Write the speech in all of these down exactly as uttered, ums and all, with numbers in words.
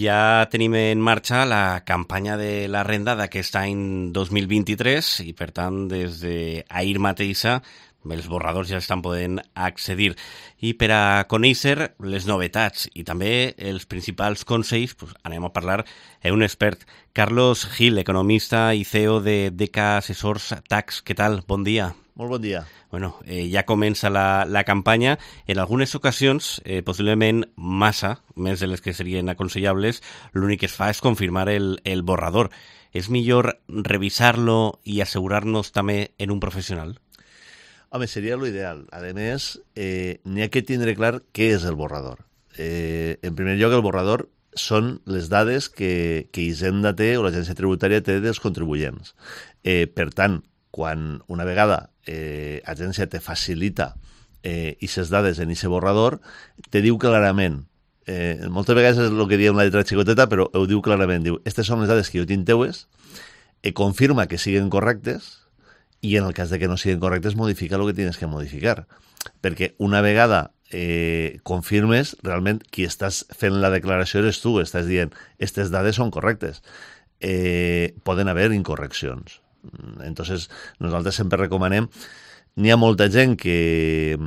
Ja tenim en marxa la campanya de la renda d'aquest any dos mil vint-i-tres i, per tant, des d'ahir mateixa els borradors ja estan podent accedir. I per a conèixer les novetats i també els principals consells, pues, anem a parlar amb un expert. Carlos Gil, economista i C E O de D K Assessors Tax. Què tal? Bon dia. Molt bon dia. Bueno, eh, ja comença la, la campanya. En algunes ocasions, eh, possiblement massa, més de les que serien aconsellables, l'únic que es fa és confirmar el, el borrador. És millor revisar-lo i assegurar-nos també en un professional? Home, seria l'ideal. A més, eh, n'hi ha que tindre clar què és el borrador. Eh, en primer lloc, el borrador són les dades que, que Hisenda té o l'agència tributària té dels contribuents. Eh, per tant, quan una vegada eh, agència te facilita eh, aquestes dades en aquest borrador, te diu clarament, eh, moltes vegades és el que diem la lletra xicoteta, però ho diu clarament, diu, aquestes són les dades que jo tinc teues, eh, confirma que siguen correctes, i en el cas de que no siguin correctes, modifica el que tienes que modificar. Perquè una vegada eh, confirmes, realment qui estàs fent la declaració eres tu, estàs dient, aquestes dades són correctes. Eh, poden haver incorreccions. Entonces, nosaltres sempre recomanem, n'hi ha molta gent que,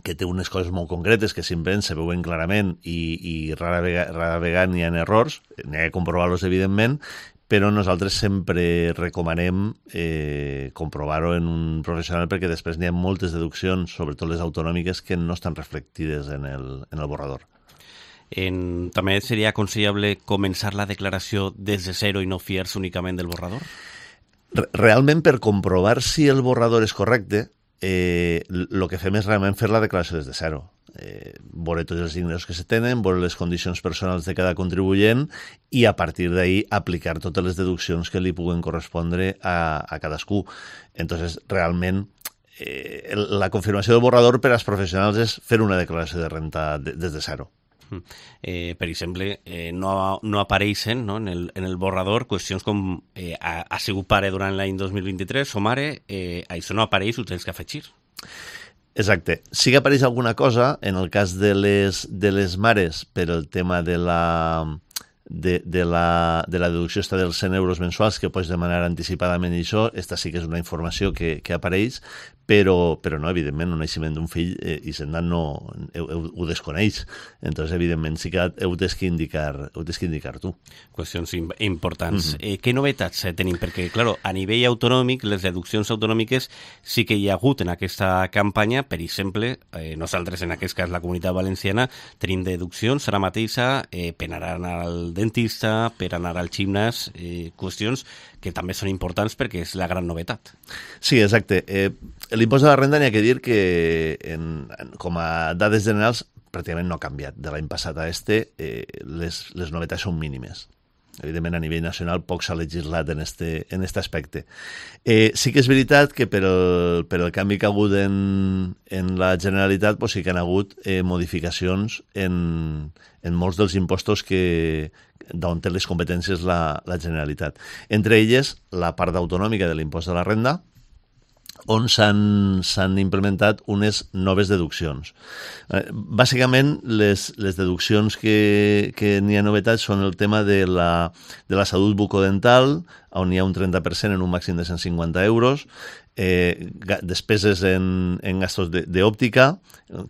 que té unes coses molt concretes que simplement se veuen clarament i, i rara vegada, rara vegada n'hi ha errors, n'hi ha que comprovar-los evidentment, però nosaltres sempre recomanem eh, comprovar-ho en un professional perquè després n'hi ha moltes deduccions, sobretot les autonòmiques, que no estan reflectides en el, en el borrador. En, també seria aconsellable començar la declaració des de zero i no fiar-se únicament del borrador? Realment, per comprovar si el borrador és correcte, eh, el que fem és realment fer la declaració des de zero. Eh, veure tots els ingressos que se tenen, veure les condicions personals de cada contribuent i a partir d'ahí aplicar totes les deduccions que li puguen correspondre a, a cadascú. Entonces, realment, eh, la confirmació del borrador per als professionals és fer una declaració de renta de, des de zero. Eh, per exemple, eh, no, no apareixen, no, en, el, en el borrador qüestions com eh, ha, ha sigut pare durant l'any dos mil vint-i-tres o mare, eh, això no apareix, ho tens que afegir. Exacte. Sí que apareix alguna cosa en el cas de les, de les mares per el tema de la, de, de la, de la deducció esta dels cent euros mensuals que pots demanar anticipadament i això, esta sí que és una informació que, que apareix, però, però no, evidentment, el naixement d'un fill eh, Hisenda no ho, ho, ho desconeix. Entonces, evidentment, sí que ho tens que indicar, ho tens que indicar tu. Qüestions importants. Mm-hmm. eh, què novetats eh, tenim? Perquè, clar, a nivell autonòmic, les deduccions autonòmiques sí que hi ha hagut en aquesta campanya. Per exemple, eh, nosaltres, en aquest cas, la Comunitat Valenciana, tenim deduccions ara mateixa eh, per anar al dentista, per anar al gimnàs, eh, qüestions que també són importants perquè és la gran novetat. Sí, exacte. Eh, L'impost de la renda n'hi ha que dir que en, en, com a dades generals pràcticament no ha canviat. De l'any passat a este eh, les, les novetats són mínimes. Evidentment, a nivell nacional poc s'ha legislat en este, en este aspecte. Eh, sí que és veritat que per el, per el canvi que ha hagut en, en la Generalitat pues sí que han hagut eh, modificacions en, en molts dels impostos que d'on té les competències la, la Generalitat. Entre elles, la part autonòmica de l'impost de la renda, on s'han implementat unes noves deduccions. Eh, bàsicament, les, les deduccions que, que n'hi ha novetats són el tema de la, de la salut bucodental, on hi ha un trenta per cent en un màxim de cent cinquanta euros, eh, despeses en, en gastos d'òptica,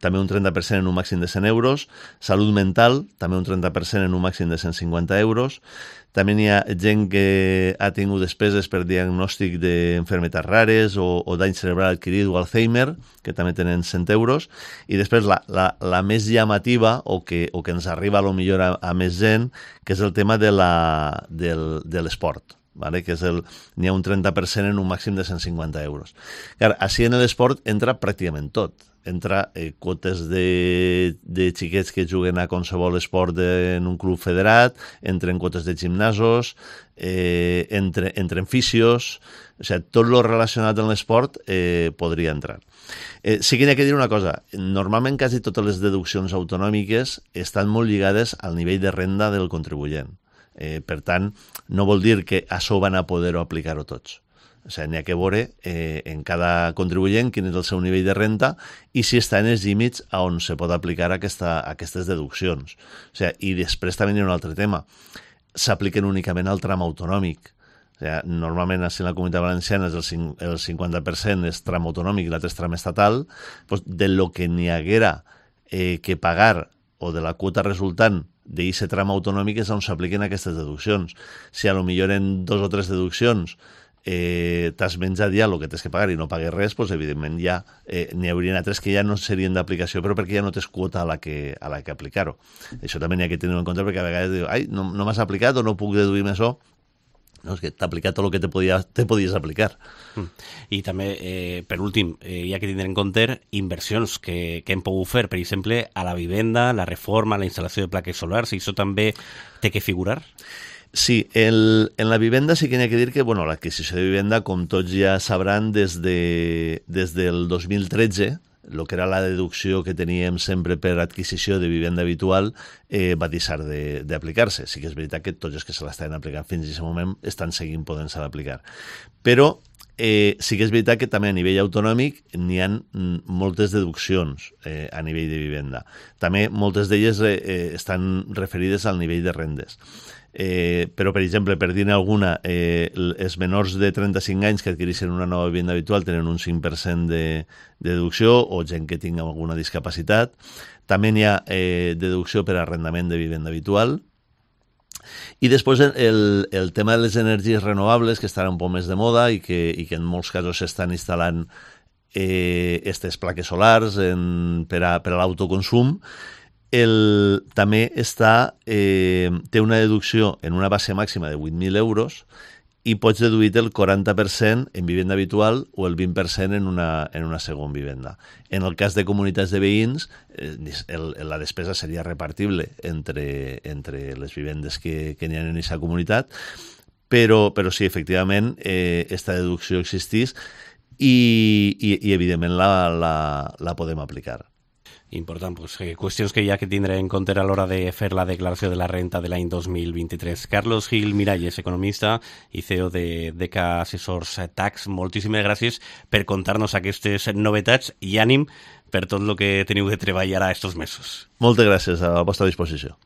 també un trenta per cent en un màxim de cent euros, salut mental, també un trenta per cent en un màxim de cent cinquanta euros, també hi ha gent que ha tingut despeses per diagnòstic d'enfermetats rares o, o dany cerebral adquirit o Alzheimer, que també tenen cent euros, i després la, la, la més llamativa o que, o que ens arriba a lo millor a, a més gent, que és el tema de l'esport. Vale? Que és el, n'hi ha un trenta per cent en un màxim de cent cinquanta euros. Clar, així en l'esport entra pràcticament tot. Entra eh, quotes de, de xiquets que juguen a qualsevol esport de, en un club federat, entren quotes de gimnasos, eh, entre, entren fisios, o sigui, tot lo relacionat amb l'esport eh, podria entrar. Eh, sí que n'hi ha que dir una cosa, normalment quasi totes les deduccions autonòmiques estan molt lligades al nivell de renda del contribuent. Eh, per tant, no vol dir que això van a poder-ho aplicar-ho tots. O sigui, n'hi ha que veure eh, en cada contribuent quin és el seu nivell de renta i si està en els límits a on se pot aplicar aquesta, aquestes deduccions. O sigui, i després també hi ha un altre tema. S'apliquen únicament al tram autonòmic. O sigui, normalment, així en la Comunitat Valenciana, el, cinc, el cinquanta per cent és tram autonòmic i l'altre és tram estatal. Doncs de lo que n'hi haguera eh, que pagar o de la quota resultant d'aquest tram autonòmic és on s'apliquen aquestes deduccions. Si a lo millor en dos o tres deduccions eh, t'has menjat ja el que tens que pagar i no pagues res, doncs evidentment ja eh, n'hi haurien altres que ja no serien d'aplicació, però perquè ja no tens quota a la que, a la que aplicar-ho. Això també n'hi ha que tenir en compte, perquè a vegades dius, ai, no, no m'has aplicat o no puc deduir-me això. No, és que t'ha aplicat tot el que te, podia, te podies aplicar. I també, eh, per últim, eh, hi ha que tindre en compte inversions que, que hem pogut fer, per exemple, a la vivenda, la reforma, la instal·lació de plaques solars, i això també té que figurar? Sí, el, en la vivenda sí que n'hi ha que dir que bueno, l'adquisició de vivenda, com tots ja sabran, des, de, des del dos mil tretze, el que era la deducció que teníem sempre per adquisició de vivenda habitual eh, va deixar d'aplicar-se. Sí que és veritat que tots els que se l'estaven aplicant fins a aquest moment estan seguint podent-se aplicar. Però eh, sí que és veritat que també a nivell autonòmic n'hi ha moltes deduccions eh, a nivell de vivenda. També moltes d'elles eh, estan referides al nivell de rendes. Eh, però, per exemple, per dir-ne alguna, eh, els menors de trenta-cinc anys que adquireixen una nova vivenda habitual tenen un cinc per cent de, de deducció, o gent que tingui alguna discapacitat. També n'hi ha eh, deducció per arrendament de vivenda habitual. I després el, el tema de les energies renovables, que estan un poc més de moda i que, i que en molts casos s'estan instal·lant eh, aquestes plaques solars en, per a, per a l'autoconsum. El, també està, eh, té una deducció en una base màxima de vuit mil euros i pots deduir el quaranta per cent en vivenda habitual o el vint per cent en una, en una segona vivenda. En el cas de comunitats de veïns, eh, el, la despesa seria repartible entre, entre les vivendes que, que n'hi ha en aquesta comunitat, però, però sí, efectivament, eh, esta deducció existís i, i, i evidentment la, la, la podem aplicar. Important, pues, eh, qüestions que hi ha que tindre en compte a l'hora de fer la declaració de la renta de l'any dos mil vint-i-tres. Carlos Gil Miralles, economista i C E O de D E C A Assessors Tax, moltíssimes gràcies per contar-nos aquestes novetats i ànim per tot el que teniu de treballar a estos mesos. Moltes gràcies, a la vostra disposició.